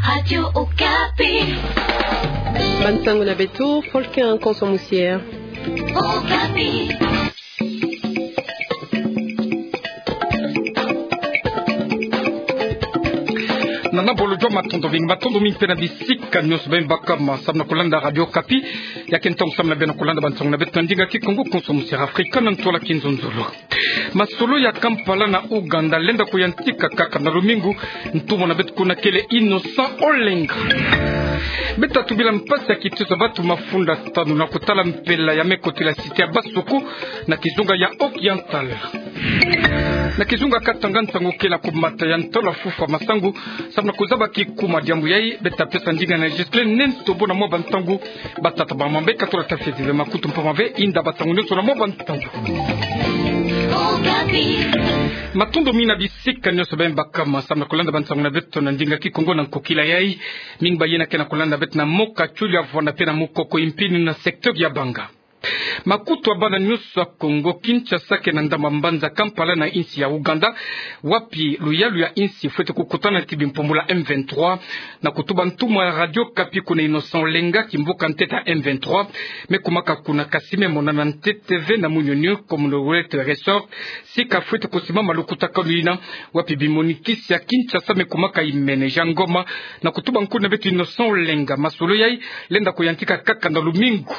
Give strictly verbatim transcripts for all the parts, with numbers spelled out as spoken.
Radio Okapi. Bansango na beto, Folkin Konso Musier. Okapi. Nana bolo jua, matondo mingi, matondo mingi mpe na bisika nyonso beno baka ma samu na kulanda Radio Okapi. Ya ke ntangu samu na beno kulanda bansango na beto na ndinga Kikongo, Konso Musier Afrika na ntwala Kinzonzolo. Masolo ya Kampala na Uganda lenda kuyantika kaka na lumingu. Ntumwa na beto kuna kele Innocent Olenga. Beta tubila mpasi ya kitusa bantu mafunda tanu na kutala mpela ya me kotila cité ya Basoko na kizunga ya Oriental. Na kizunga Katanga, nsangu kele ya kumata ya ntalo ya fufwa masangu samu na kuzaba kikuma. Diambu yai beta pesa ndinga na Ghislain Nento bo na mwa bansangu. Batata, bamama, beka tula tafeti ve makutu mpamba ve, inda bansangu nyonso na mwa bansangu. Matondo mingi na bisika nyonso beno baka ma samu na kulanda bansangu na beto na ndinga Kikongo na nkokila yai. Mingi bayina ke na kulanda beto na Mokachuli ya Vwanda mpe na Mukoko-Impini na secteur ya Banga. Makutu ya bana nyonso ya Kongo, Kinshasa ke na ndambu ya mbanza Kampala na insi ya Uganda, wapi luyalu ya insi fwete kukutana ti bimpumbulu ya M vingt-trois. Na kutuba ntumwa ya Radio Okapi kuna, Innocent Olenga, kimvuka ntete ya M vingt-trois me kumaka kuna, kasi me monana ntete ve na Munyonyo, Commonwealth Resort, sika fwete kusimama lukutakanu yina, wapi bimonikisi ya Kinshasa me kumaka imene. Jean Ngoma na kutuba nkuna beto Innocent Olenga. Masolo yai lenda kuyantika kaka na lumingu.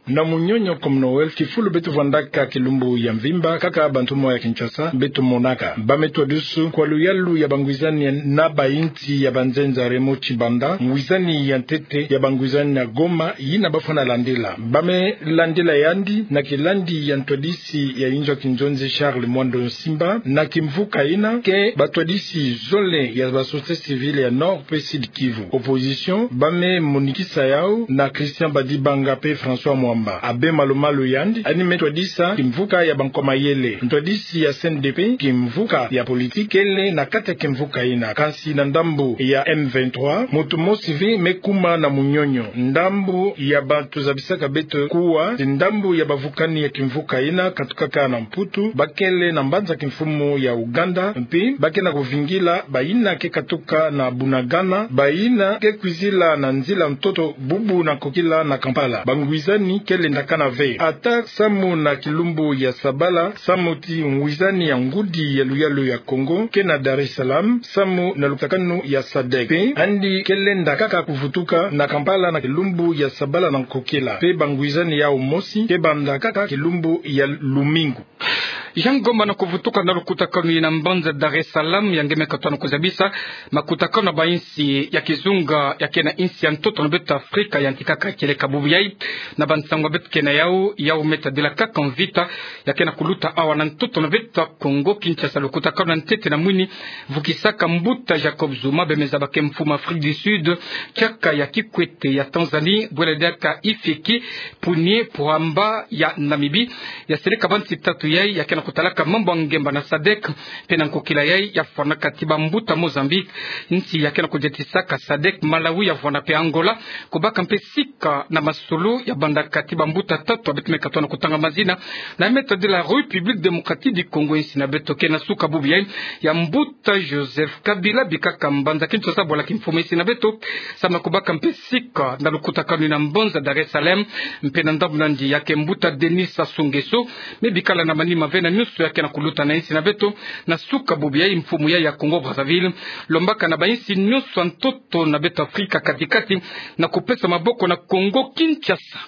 Na Munyonyo, Commonwealth, kifulu beto vwandaka kilumbu ya mvimba, kaka bantumwa ya Kinshasa beto monaka. Ba me twadisi kwa luyalu ya bangwizani na bainsi ya banzenza Raymond Tshibanda, ngwizani ya ntete ya bangwizani na Goma, yina bafwana landila. Ba me landila yandi na kilandi ya ntwadisi ya inzo ya kinzonzi Charles Mwando Nsimba, na kimvuka yina ke batwadisi zole ya ba société civile ya Nord mpe Sud Kivu. Opposition, ba me monikisa yau na Christian Badibanga mpe François Mwamba. Abbé Malu Malu yandi, yandi me twadisa kimvuka ya bankwa mayele. Ntwadisi ya C N D P, kimvuka ya politique kele na kati ya kimvuka yina. Kansi na ndambu ya M vingt-trois, muntu mosi ve me kuma na Munyonyo. Ndambu ya bantu zabisaka beto kuwa, ti ndambu ya bavukani ya kimvuka yina katukaka na Mputu, ba kele na mbanza kimfumu ya Uganda, mpe ba ke na kuvingila bayina ke katuka na Bunagana, bayina ke kwizila na nzila ntoto bubu na nkokila na Kampala. Bangwizani ke lendakana ve. Ata samu na kilumbu ya sabala, samu ti ngwizani ya ngudi ya luyalu ya Kongo ke na Dar es Salaam, samu na lukutakanu ya sadec. Mpe yandi ke lenda kaka kuvutuka na Kampala na kilumbu ya sabala na nkokila. Mpe bangwizani yau mosi ke banda kaka kilumbu ya lumingu. Jean Ngoma na kuvutuka na lukutakanu yina mbanza Dar es Salaam, ya nge me katona kuzabisa makutakanu na bainsi ya kizunga ya ke na insi ya ntoto na beto Afrika yantikaka kieleka bubu yai. Na bansangu beto ke na yau, yau me tadila kaka mvita ya ke na kuluta awa na ntoto na beto Kongo Kinshasa. Lukutakanu ya ntete na mwini vukisaka mbuta Jacob Zuma, be me zaba ke mfumu Afrique du Sud, kiaka ya Kikwete ya Tanzanie, bwela diaka Hifikepunye Pohamba ya Namibie. Ya seleka bansi tatu yai ya ke na kutalaka mambu ya ngemba na sadec, mpe na nkokila yai ya fwanaka ti bambuta Mozambique, nsi ya ke na kudiatisaka sadec, Malawi ya vwanda mpe Angola, kubaka mpe sika na masolo ya bandaka ti bambuta tatu ya beto me katona kutanga mazina, na me tadila République Démocratique du Congo, insi na beto ke na suka bubu yai ya mbuta Joseph Kabila bikaka mbanza Kinshasa bwala kimfumu insi na beto, samu na kubaka mpe sika na lukutakanu yina mbanza Dar es Salaam, mpe na ndambu na yandi ya ke mbuta Denis Sassou Nguesso, me bikala na manima ve na nyonso ya ke na kuluta na insi na beto, na suka bubu yai mfumu yai ya Congo Brazzaville lombaka na bainsi nyonso ya ntoto na beto Afrika kati-kati na kupesa maboko na Kongo Kinshasa.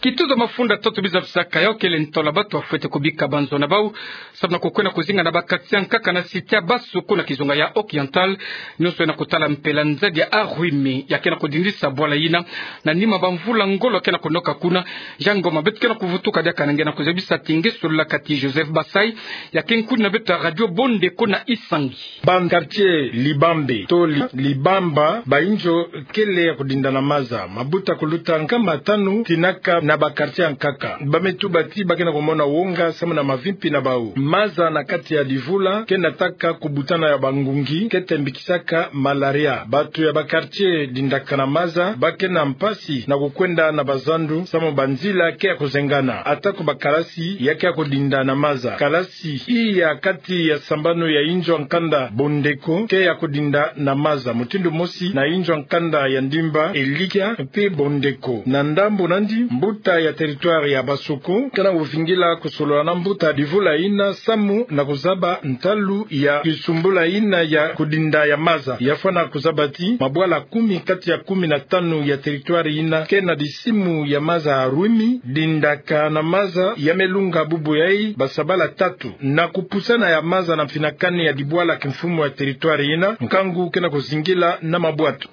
Kituza mafunda tatu biza bisaka yau kele ntwala bantu bafwete kubika banzo na bau, samu na kukwenda kuzinga na bakati ya nkaka na cité ya Basoko na kizunga ya Oriental, nyonso ya na kutala mpela nzadi ya Aruimi ya ke na kudindisa bwala yina, na nima bamvula ngolo ke na kunoka kuna. Jean Ngoma, beto ke na kuvutuka diaka na nge na kuzabisa ti nge solola kati Joseph Basai, ya ke nkuni na beto ya radio Bondeko na Isangi. Ban quartier Libambe to Li-, Libamba, ba inzo kele ya kudinda na maza. Mabuta kuluta nkama tanu tinaka na ba quartier ya nkaka. Ba me tuba ti ba ke na kumona wonga samu na mavimpi na bau. Maza na kati ya divula ke nataka kubutana ya bangungi, ke tembikisaka malaria. Bato ya ba quartier dindaka na maza ba ke na mpasi na kukwenda na bazandu samu banzila ke ya kuzengana. Atako bakalasi ya ke ya kudinda na maza. Kalasi iya kati ya sambanu ya inzo ya nkanda Bondeko ke ya kudinda na maza mutindu mosi na inzo ya nkanda ya Ndimba, Elikia mpe Bondeko. Na ndambu nandi, mbuta ya territoire ya Basoko ke na kuvingila kusolola na mbuta divula ina samu na kuzaba ntalu ya kisumbula ina ya kudinda ya maza. Ya fwana kuzaba ti mabwala kumi kati ya kumi na tanu ya territoire ina ke na disimu ya maza ya rwimi, dindaka na maza ya me lunga bubu yai basabala tatu. Na kupusana ya maza na mfinakani ya dibwala kimfumu ya territoire ina, nkangu ke na kuzingila na mabwatu.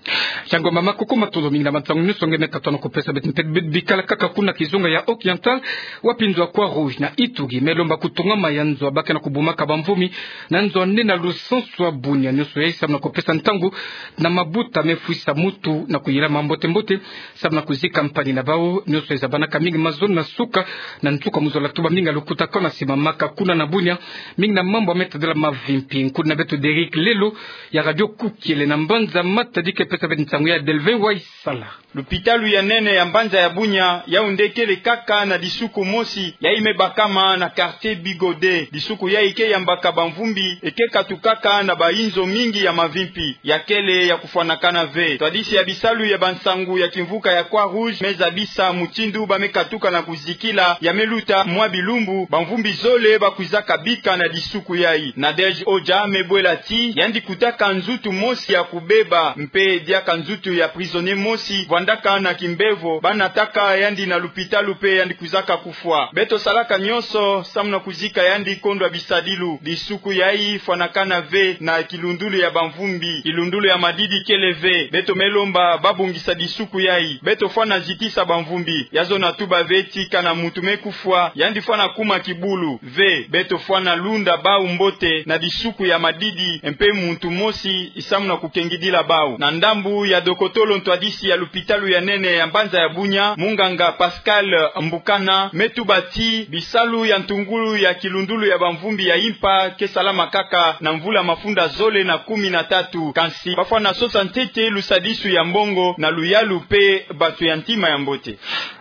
Yango mama, kuku matondo mingi na bantangu nyonso nge me katono kupesa beto mpe bikala kaka kuna kizunga ya Occidental, wapi nzo ya Croix-Rouge na Itugi me lomba kutongama ya nzo ya ba ke na kubumaka bamvumi na nzo ya nene ya lusansu ya Bunia. Nyonso yai samu na kupesa ntangu na mabuta me fwisa mutu na kuyila mambote-mbote samu na kuzika mpani na bau. Nyonso yai zabanaka mingi mazono na suka na nsuka mu zola, tuba mingi ya lukutakanu na simamaka kuna na Bunia, mingi na mambu ya me tadila mavimpi. Nkundi na beto Derrick Lelo ya Radio Kukiele na mbanza Matadi ke pesa beto nsangu ya Delvin Waisala. Lupitalu ya nene ya mbanza ya Bunia, yau nde kele kaka na disuku mosi yai me bakama na quartier Bigodet. Disuku yai ke yambaka bamvumbi, e ke katukaka na bainzo mingi ya mavimpi, ya kele ya kufwanakana ve. Ntwadisi ya bisalu ya bansangu ya kimvuka ya Croix-Rouge me zabisa mutindu ba me katuka na kuzikila ya me luta mwa bilumbu bamvumbi zole ba kwizaka bika na disuku yai. Nadège Oja me bwela ti yandi kutaka nzutu mosi ya kubeba, mpe diaka nzutu ya prisonnier mosi vwandaka na kimbevo, ba nataka yandi na lupitalu mpe yandi kwizaka kufwa. Beto salaka nyonso samu na kuzika yandi kondwa bisadilu. Disuku yai fwanakana ve na kilundulu ya bamvumbi. Kilundulu ya Madidi kele ve. Beto me lomba ba bongisa disuku yai. Beto fwana zitisa bamvumbi. Ya zona tuba ve ti kana muntu me kufwa, yandi fwana kuma kibulu. Ve, beto fwana lunda bau mbote na disuku ya Madidi, mpe muntu mosi samu na kukengidila bau. Na ndambu ya dokotolo ntwadisi ya lupitalu ya nene ya mbanza ya Bunia, munganga Pascal Mbukana, me tuba ti bisalu ya ntungulu ya kilundulu ya bamvumbi ya impa ke salama kaka na mvula mafunda zole na kumi na tatu. Kansi ba fwana sosa ntete lusadisu ya mbongo na luyalu mpe bato ya ntima ya mbote.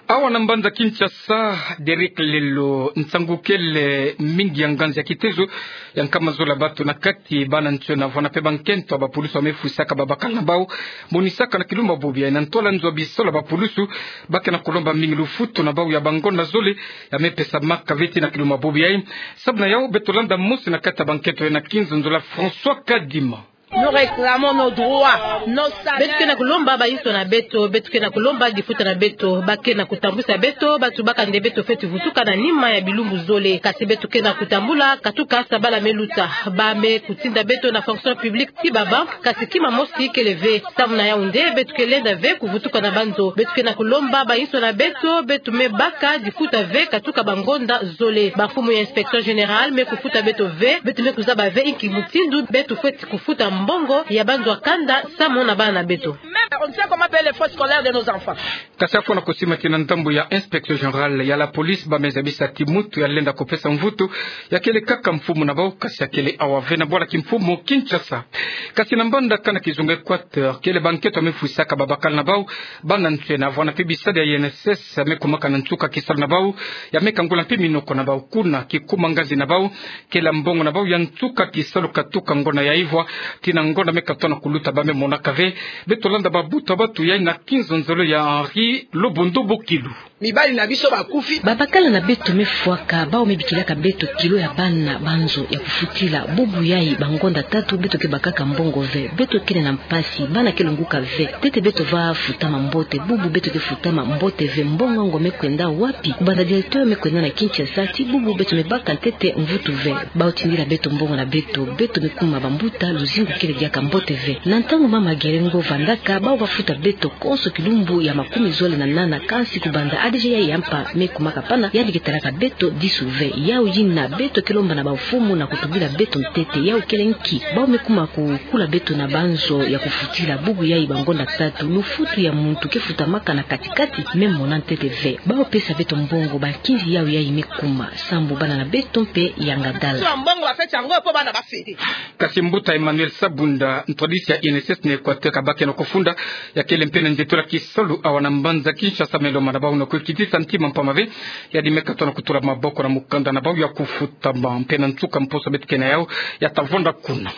Awa na mbanza Kinshasa, Derrick Lelo, nsangu kele mingi ya nganzi ya kitezo ya nkama zole ya bato, na kati bana ntiona vwanda mpe bankento ya bapulusu ba me fwisaka babakala na bau, monisaka na kilumbu ya bobo yai na ntwala nzo ya bisalu ya bapulusu, ba ke na kulomba mingi lufutu na bau ya bangonda zole ya me pesamaka ve ti na kilumbu ya bobo yai. Samu na yau beto landa mosi na kati ya bankento yai na kinzonzolo ya François Kadima. Nous réclamons nos droits, nos salaires. Beto ke na kulomba bainso na beto, beto ke na kulomba difuta na beto. Ba ke na kutambwisa beto, ba tubaka nde beto fweti vutuka na nima ya bilumbu zole. Kasi beto ke na kutambula katuka sabala me luta. Ba me kutinda beto na fonction publique ti baba, kasi kima mosi kele ve. Samu na yau nde beto ke lenda ve kuvutuka na banzo. Beto ke na kulomba bainso na beto, beto me baka difuta ve katuka bangonda zole. Bamfumu ya inspecteur général me kufuta beto ve, beto me kuzaba ve inki mutindu beto fweti kufuta mbongo ya banzo ya kanda samu na bana na beto. Même on ne sait comment payer les frais scolaires de nos enfants. Kasi afwana kusima ti na ndambu ya inspecteur général ya la police, ba me zabisa ti muntu ya lenda kupesa mvutu ya kele kaka mfumu na bau, kasi ya kele awa ve na bwala kimfumu Kinshasa. Kasi na mbanda kana kizunga Équateur, kele bankento ya me fwisaka babakala na bau, bana ntiona vwanda mpe bisadi ya I N S S ya me kumaka na nsuka kisalu na bau, ya me kangula mpe minoko na bau kuna kikuma nganzi na bau, kele mbongo na bau ya nsuka kisalu katuka ngonda ya ivwa ti na ngonda me katono kuluta ba me monaka ve. Beto landa babuta batu yai na kinzonzolo ya Henri Lobundu Bukilu. Mibali na biso bakufi. Babakala na beto me fwaka, bau me bikilaka beto kilo ya bana banzo ya kufutila. Bubu yai bangonda tatu beto ke bakaka mbongo ve. Beto kele na mpasi, bana ke lunguka ve. Ntete beto va futama mbote, bubu beto ke futama mbote ve. Mbongo yango me kwenda wapi? Kubanda directeur me kwenda na Kinshasa ti bubu beto me baka ntete mvutu ve. Bau tindila beto mbongo na beto, beto me kuma bambuta, luzingu kele diaka mbote ve. Na ntangu mama Gerengo vandaka, bau va futa beto konso kilumbu ya makumi zole na nana, kansi kubanda Adeje yai ya mpa me kumaka pana, yandi ke talaka beto disu ve. Yau yina beto ke lomba na bamfumu na kutubila beto ntete. Yau kele nki? Bau me kuma kukula beto na banzo ya kufutila. Bubu yai bangonda tatu, lufutu ya muntu ke futamaka na kati-kati, me mona ntete ve. Bau pesa beto mbongo, bankinzi yau yai me kuma. Sambu bana na beto mpe yanga dala. Swa mbongo bafeti yango po bana bafeti. Kasi mbuta Emmanuel Sabunda, ntwadisi ya I N S S na Equateur, kabakeno kofunda, ya kele mpe na nzietolo ya kisalu awa na mbanza Kinshasa, me lomba na bau na kukitisa ntima mpamba ve, ya di me katona kutula maboko na mukanda na bau ya kufutama. Mpe na nsuka mposo beto ke na yau, ya ta vonda kuna.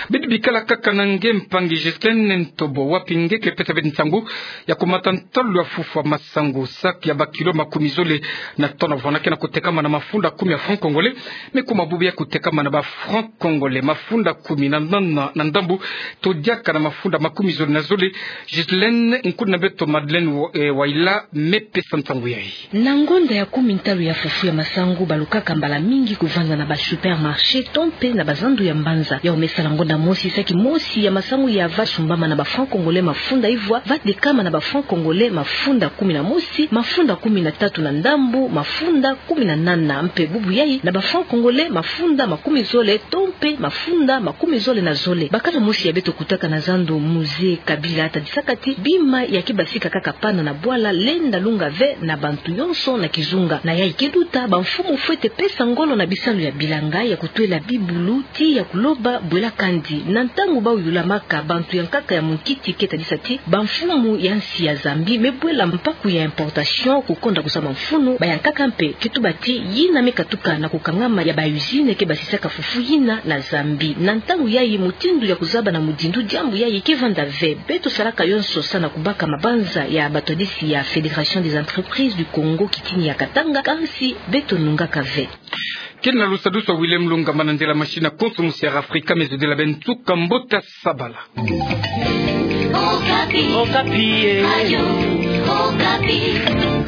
Beto bikala kaka na nge mpangi Ghislaine Ntobo, wapi nge ke pesa beto nsangu ya kumata ntalu ya fufulu ya masangu, sac ya bakilo makumi zole na tona vana ke na kutekama na mafunda kumi ya francs congolais, me kuma bubu yai kutekama na ba francs congolais mafunda kumi na nana na ndambu, to diaka na mafunda makumi zole na zole. Ghislaine, nkuna beto Madeleine Wa-, eh, Waila me pesa nsangu yai. Na ngonda ya kumi ntalu ya fufulu ya masangu balukaka mbala mingi kuvanda na ba supermarché to mpe na bazandu ya mbanza. Yau me sala ngonda mosi, sac mosi ya masangu ya va sumbama na ba francs congolais mafunda ivwa, va tekama na ba francs congolais mafunda kumi na mosi, mafunda kumi na tatu na ndambu, mafunda kumi na nana. Mpe bubu yai na ba francs congolais mafunda makumi zole to mpe mafunda makumi zole na zole. Bakala mosi ya beto kutaka na zandu Musée Kabila, tadisaka ti bima ya ke basika kaka pana na bwala lenda lunga ve na bantu yonso na kizunga. Na yai ke luta, bamfumu fwete pesa ngolo na bisalu ya bilanga ya kutwela bibulu, ti ya kuloba bwela kandi. Na ntangu bau yulamaka, bantu ya nkaka ya munkiti ke tadisa ti bamfumu ya nsi ya Zambie me bwela mpaku ya importation kukonda kusa bamfunu. Bayankaka mpe ke tuba ti yina me katuka na kukangama ya ba usine ke basisaka fufu yina na Zambie. Na ntangu yai, mutindu ya kuzaba na mudindu diambu yai ke vanda ve. Beto salaka yonso sa na kubaka mabanza ya batwadisi ya Fédération des entreprises du Congo kitini ya Katanga, kansi beto nungaka ve. Kina lusadusu William Lungamba na nzila machine ya Konso Musiara Afrika, me zodila beno nsuka mbote ya sabala. Okapi. Okapi, eh. Radio Okapi.